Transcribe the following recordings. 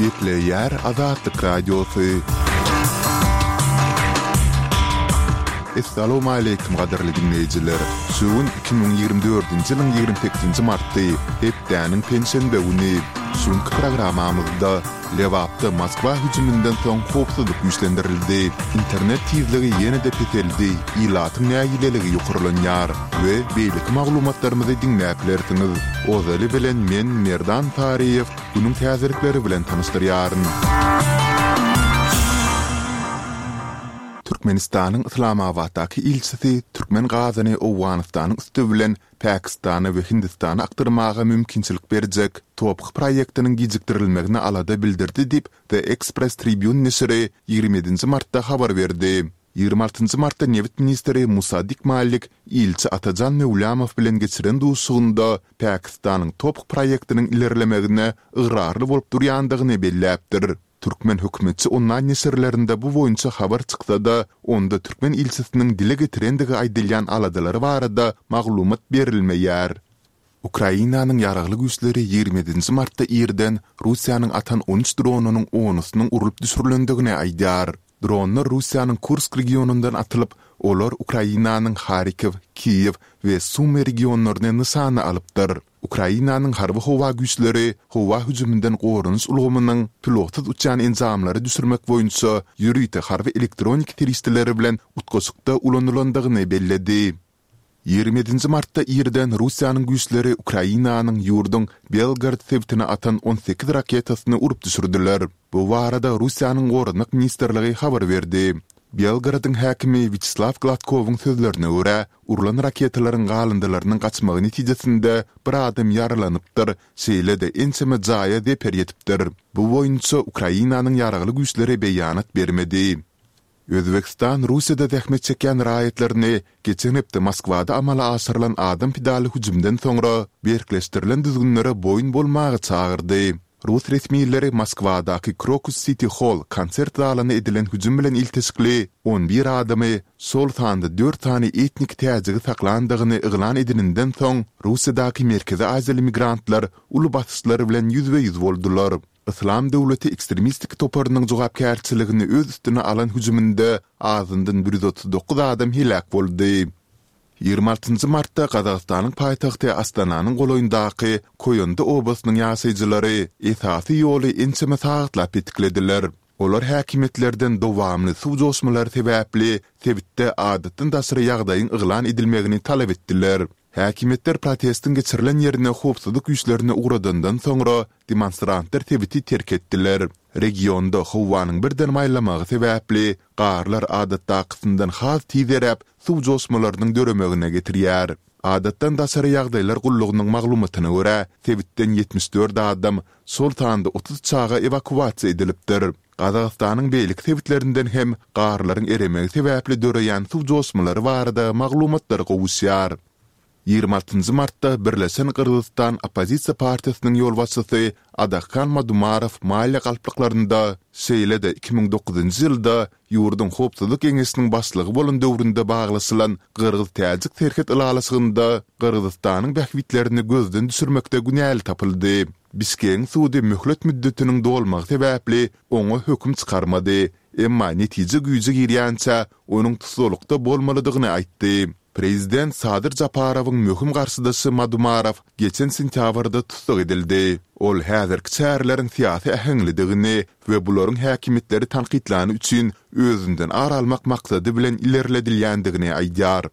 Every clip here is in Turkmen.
Gepleýär Azatlyk Radiosy. Essalawmaleýkim gadyrly diňleýjiler! Şu gün 2024-nji ýylyň 28-nji marty, hepdäniň penşenbe güni. Şu günki programmamyzda Lebapda Moskwa hüjüminden soň howpsuzlyk güýçlendirildi. Internet tizligi ýene-de peseldi, ilatyň nägileligi ýokarlanýar we beýleki maglumatlarymyzy diňläp bilersiňiz. Ozaly bilen men Merdan Saryýew günüň täzelikleri bilen tanyşdyrýaryn. Türkmenistanyň Yslamabatdaky ilçisi türkmen gazyny Owganystanyň üsti bilen Pakistana we Hindistana akdyrmaga mümkinçilik berjek TOPH proýektiniň gijikdirilmegine alada bildirdi diýip, The Express Tribune neşiri 27 nji martda habar berdi. 26 nji martda nebit ministri Musaddik Malik ilçi Atajan Möwlamow bilen geçiren duşuşygynda Pakistanyň TOPH proýektiniň ilerlemegine ygrarly bolup durýandygyny belläpdir. Türkmen hökümetçi onlaýn neşirlerinde bu boýunça habar çyksa-da, onda türkmen ilçisiniň dile getirendigi aýdylýan aladalary barada maglumat berilmeýär. Ukrainanyň Ýaragly Güýçleri 27 nji martda irden Russiýanyň atan 13 dronynyň onusynyň urlup düşürilendigini aýdýar. Dronlar Russiýanyň Kursk regionyndan atylyp, olar Ukrainanyň Harkow, Kiýew we Sumy regionlaryny nyşana alypdyr. Ukrainanyň Harby-howa güýçleri howa hüjüminden goranyş ulgamynyň pilotsyz uçýan enjamlary düşürmek boýunça ýörite harby elektronik serişdeleri bilen utgaşykda ulanylandygyny belledi. 27 nji martda irden Russiýanyň güýçleri Ukrainanyň ýurduň Belgorod sebitine atan 18 raketasyny urup düşürdiler. Bu barada Russiýanyň Goranmak ministrligi habar berdi. Belgorodyň häkimi Wýaçeslaw Gladkowyň sözlerine görä, urlan raketalaryň galyndylarynyň gaçmagy netijesinde bir adam ýaralanypdyr, şeýle-de ençeme jaýa zeper ýetipdir. Bu boýunça Ukrainanyň Ýaragly güýçleri beýanat bermedi. Özbegistan Russiýada zähmet çekýän raýatlaryny geçen hepde Moskwada amala aşyrylan adam pidaly hüjümden soňra berkleşdirilen düzgünlere boýun bolmaga çagyrdy. Rus resmileri Moskwadaky Krokus Siti Holl konsert zalyna edilen hüjüm bilen ilteşikli 11 adamy, şol sanda dört sany etnik täjigi saklandygyny yglan edeninden soň, Russiýadaky merkezi aziýaly migrantlar uly basyşlar bilen ýüzbe-ýüz boldular. Yslam döwleti ekstremistik toparynyň jogapkärçiligini öz üstüne alan hüjüminde azyndan 139 adam heläk boldy. 26 martda Gazagystanyň paýtagty Astananyň golaýyndaky Koýandy obasynyň ýaşaýjylary esasy ýoly ençeme sagatlap petiklediler. Olar häkimiýetlerden dowamly suw joşmalary sebäpli sebitde adatdan daşary ýagdaýyň yglan edilmegini talap etdiler. Häkimiýetler protestiň geçirilen ýerine howpsuzlyk güýçlerini ugradandan soňra demonstrantlar sebiti terk etdiler. Regionda howanyň birden maýlamagy sebäpli garlar adatdakysyndan has tiz eräp, suw joşmalarynyň döremegine getirýär. Adatdan daşary ýagdaýlar gullugynyň maglumatyna görä, sebitden 74 adam, şol sanda 30 çaga ewakuasiýa edilipdir. Gazagystanyň beýleki sebitlerinden hem garlaryň eremegi sebäpli döreýän suw joşmalary barada maglumatlar gowuşýar. 26 martda Birleşen Gyrgyzystan oppozisiýa partiýasynyň ýolbaşçysy Adahkan Madumarow maliýe galplyklarynda, şeýle-de 2009-njy ýylda ýurduň Howpsuzlyk geňeşiniň başlygy bolan döwründe baglaşylan gyrgyz-täjik serhet ylalaşygynda Gyrgyzystanyň bähbitlerini gözden düşürmekde günäli tapyldy. Bişkegiň sudy möhlet müddetiniň dolmagy sebäpli oňa höküm çykarmady, emma netije güýje girýänçä onuň tussaglykda bolmalydygyny aýtdy. Prezident Sadyr Japarowyň möhüm garşydaşy Madumarow geçen sentýabrda tussag edildi. Ol häzirki çäreleriň syýasy äheňlidigini we bularyň häkimiýetleri tankytlany üçin özünden ar almak maksady bilen ilerledilýändigini aýdýar.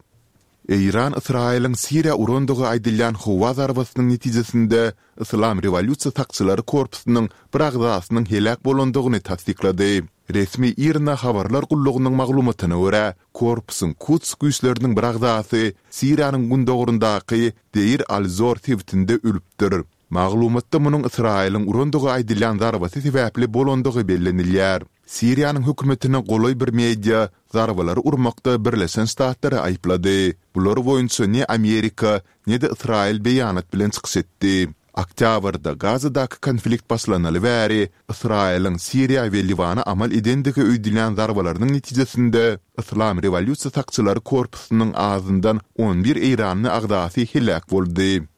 Eýran Ysraýylyň Siriýa urandygy aýdylýan howa zarbasynyň netijesinde Yslam rewolýusiýa sakçylary korpusynyň bir agzasynyň heläk bolandygyny tassyklady. Resmi IRNA habarlar gullugynyň maglumatyna görä, korpusyň Kuds güýçleriniň bir agzasy Siriýanyň gündogaryndaky Deir al-Zor sebitinde ölüpdir. Maglumatda munuň Ysraýylyň urandygy aýdylýan zarbasy sebäpli bolandygy bellenilýär. Siriýanyň hökümetine golaý bir media zarbalary urmakda Birleşen Ştatlary aýyplady. Bular boýunça ne Amerika, ne-de Ysraýyl beýanat bilen çykyş etdi. Oktýabrda Gazadaky konflikt başlanaly bäri Ysraýylyň Siriýa we Liwana amal edendigi öýdülýän zarbalarynyň netijesinde Yslam rewolýusiýa sakçylary korpusynyň azyndan 11 eýranly agzasy heläk boldy.